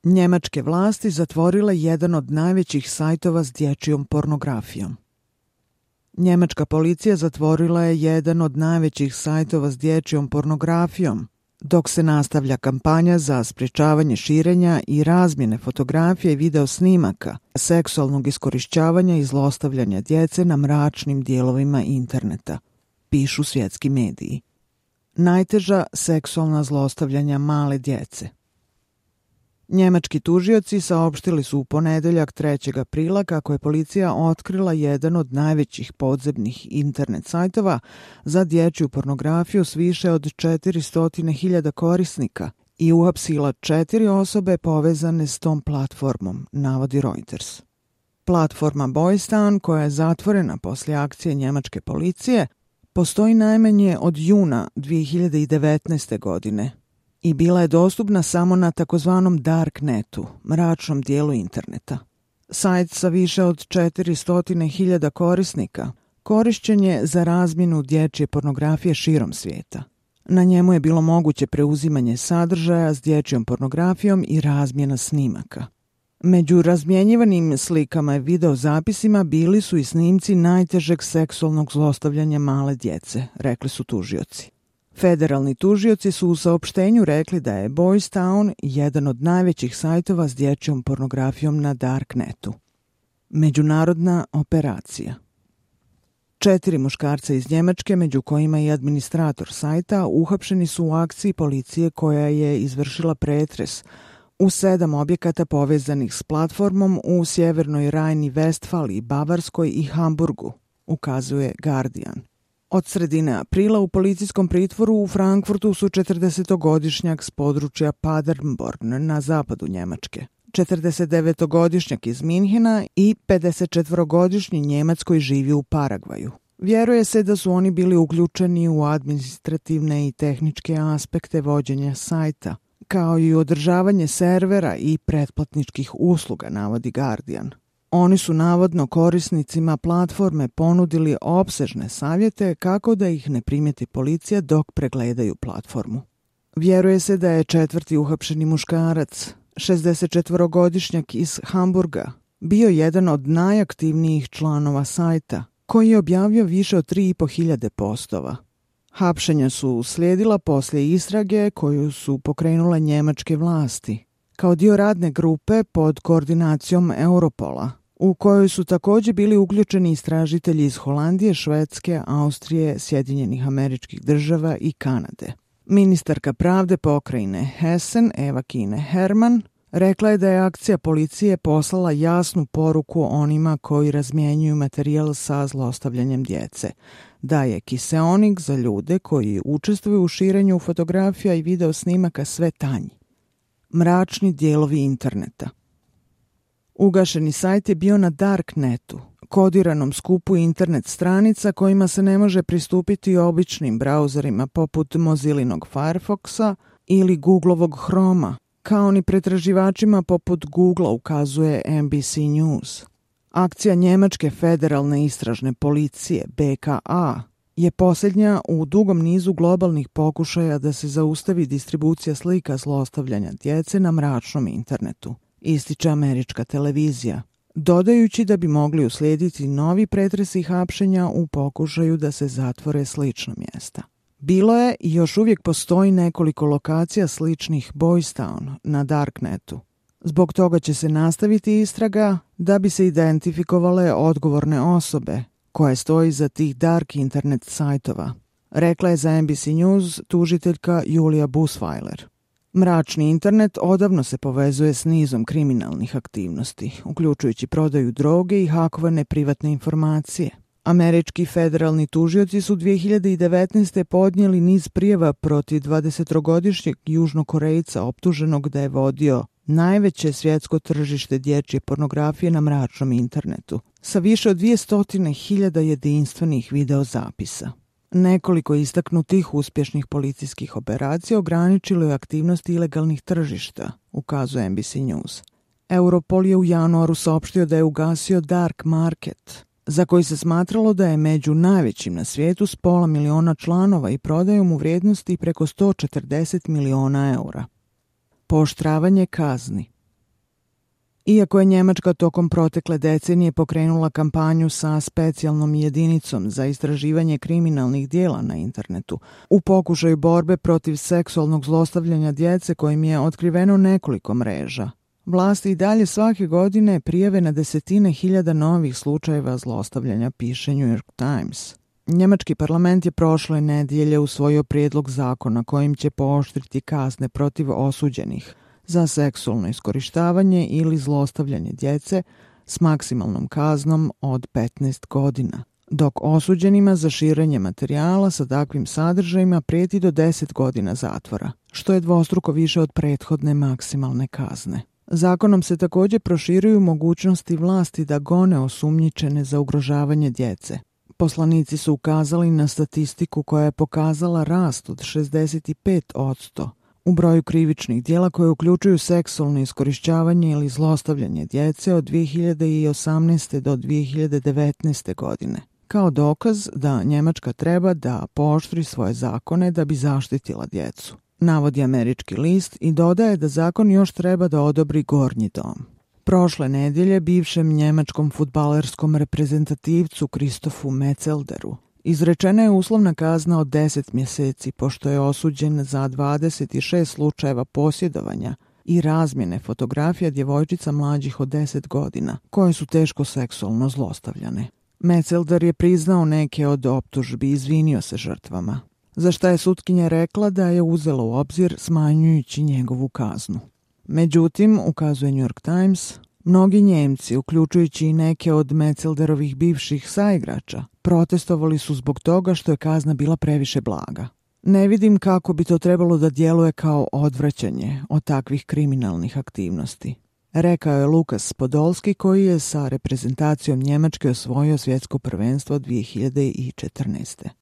Njemačke vlasti zatvorile jedan od najvećih sajtova s dječjom pornografijom. Njemačka policija zatvorila je jedan od najvećih sajtova s dječjom pornografijom, dok se nastavlja kampanja za sprječavanje širenja i razmjene fotografija i video snimaka, seksualnog iskorišćavanja i zlostavljanja djece na mračnim dijelovima interneta, pišu svjetski mediji. Najteža seksualna zlostavljanja male djece. Njemački tužioci saopštili su u ponedjeljak 3. aprila kako je policija otkrila jedan od najvećih podzemnih internet sajtova za dječju pornografiju s više od 400.000 korisnika i uhapsila 4 osobe povezane s tom platformom, navodi Reuters. Platforma Boystown, koja je zatvorena poslije akcije njemačke policije, postoji najmanje od juna 2019. godine i bila je dostupna samo na takozvanom Darknetu, mračnom dijelu interneta. Sajt sa više od 400.000 korisnika korišćen je za razmjenu dječje pornografije širom svijeta. Na njemu je bilo moguće preuzimanje sadržaja s dječjom pornografijom i razmjena snimaka. Među razmjenjivanim slikama i videozapisima bili su i snimci najtežeg seksualnog zlostavljanja male djece, rekli su tužioci. Federalni tužioci su u saopštenju rekli da je Boystown jedan od najvećih sajtova s dječjom pornografijom na Darknetu. Međunarodna operacija. 4 muškarca iz Njemačke, među kojima i administrator sajta, uhapšeni su u akciji policije koja je izvršila pretres u 7 objekata povezanih s platformom u Sjevernoj Rajni-Vestfaliji, Bavarskoj i Hamburgu, ukazuje Guardian. Od sredine aprila u policijskom pritvoru u Frankfurtu su 40-godišnjak s područja Paderborn na zapadu Njemačke, 49-godišnjak iz Minhena i 54-godišnji Njemac koji živi u Paragvaju. Vjeruje se da su oni bili uključeni u administrativne i tehničke aspekte vođenja sajta, kao i održavanje servera i pretplatničkih usluga, navodi Guardian. Oni su navodno korisnicima platforme ponudili opsežne savjete kako da ih ne primijeti policija dok pregledaju platformu. Vjeruje se da je 4. uhapšeni muškarac, 64-godišnjak iz Hamburga, bio jedan od najaktivnijih članova sajta, koji je objavio više od 3.500 postova. Hapšenja su uslijedila poslije istrage koju su pokrenule njemačke vlasti, kao dio radne grupe pod koordinacijom Europola, u kojoj su također bili uključeni istražitelji iz Holandije, Švedske, Austrije, Sjedinjenih Američkih Država i Kanade. Ministarka pravde pokrajine Hessen, Eva Kine Hermann, rekla je da je akcija policije poslala jasnu poruku onima koji razmjenjuju materijal sa zlostavljanjem djece, da je kiseonik za ljude koji učestvuju u širenju fotografija i video snimaka sve tanji. Mračni dijelovi interneta. Ugašeni sajt je bio na Darknetu, kodiranom skupu internet stranica kojima se ne može pristupiti običnim brauzerima poput Mozillinog Firefoxa ili Googlovog Chroma, kao ni pretraživačima poput Googlea, ukazuje NBC News. Akcija Njemačke federalne istražne policije, BKA, je posljednja u dugom nizu globalnih pokušaja da se zaustavi distribucija slika zlostavljanja djece na mračnom internetu, ističe američka televizija, dodajući da bi mogli uslijediti novi pretresi hapšenja u pokušaju da se zatvore slična mjesta. Bilo je i još uvijek postoji nekoliko lokacija sličnih Boystown na Darknetu. Zbog toga će se nastaviti istraga da bi se identifikovale odgovorne osobe koje stoji za tih dark internet sajtova, rekla je za NBC News tužiteljka Julia Busweiler. Mračni internet odavno se povezuje s nizom kriminalnih aktivnosti, uključujući prodaju droge i hakovane privatne informacije. Američki federalni tužioci su 2019. podnijeli niz prijava protiv 20-godišnjeg Južnokorejca optuženog da je vodio najveće svjetsko tržište dječje pornografije na mračnom internetu, sa više od 200.000 jedinstvenih videozapisa. Nekoliko istaknutih uspješnih policijskih operacija ograničilo je aktivnosti ilegalnih tržišta, ukazuje NBC News. Europol je u januaru saopštio da je ugasio Dark Market, za koji se smatralo da je među najvećim na svijetu s 500.000 članova i prodajom u vrijednosti preko 140 milijuna eura. Pooštravanje kazni. Iako je Njemačka tokom protekle decenije pokrenula kampanju sa specijalnom jedinicom za istraživanje kriminalnih dijela na internetu, u pokušaju borbe protiv seksualnog zlostavljanja djece kojim je otkriveno nekoliko mreža, vlasti i dalje svake godine prijave na desetine hiljada novih slučajeva zlostavljanja, piše New York Times. Njemački parlament je prošle nedjelje usvojio prijedlog zakona kojim će pooštriti kazne protiv osuđenih za seksualno iskorištavanje ili zlostavljanje djece s maksimalnom kaznom od 15 godina, dok osuđenima za širenje materijala sa takvim sadržajima prijeti do 10 godina zatvora, što je dvostruko više od prethodne maksimalne kazne. Zakonom se također proširuju mogućnosti vlasti da gone osumnjičene za ugrožavanje djece. Poslanici su ukazali na statistiku koja je pokazala rast od 65% u broju krivičnih djela koje uključuju seksualno iskorištavanje ili zlostavljanje djece od 2018. do 2019. godine. Kao dokaz da Njemačka treba da pooštri svoje zakone da bi zaštitila djecu, navodi američki list i dodaje da zakon još treba da odobri Gornji dom. Prošle nedjelje bivšem njemačkom fudbalerskom reprezentativcu Kristofu Metzelderu izrečena je uslovna kazna od 10 mjeseci pošto je osuđen za 26 slučajeva posjedovanja i razmjene fotografija djevojčica mlađih od 10 godina koje su teško seksualno zlostavljane. Metzelder je priznao neke od optužbi i izvinio se žrtvama, za šta je sutkinja rekla da je uzela u obzir smanjujući njegovu kaznu. Međutim, ukazuje New York Times, mnogi Njemci, uključujući i neke od Metzelderovih bivših saigrača, protestovali su zbog toga što je kazna bila previše blaga. Ne vidim kako bi to trebalo da djeluje kao odvraćanje od takvih kriminalnih aktivnosti, rekao je Lukas Podolski koji je sa reprezentacijom Njemačke osvojio svjetsko prvenstvo 2014.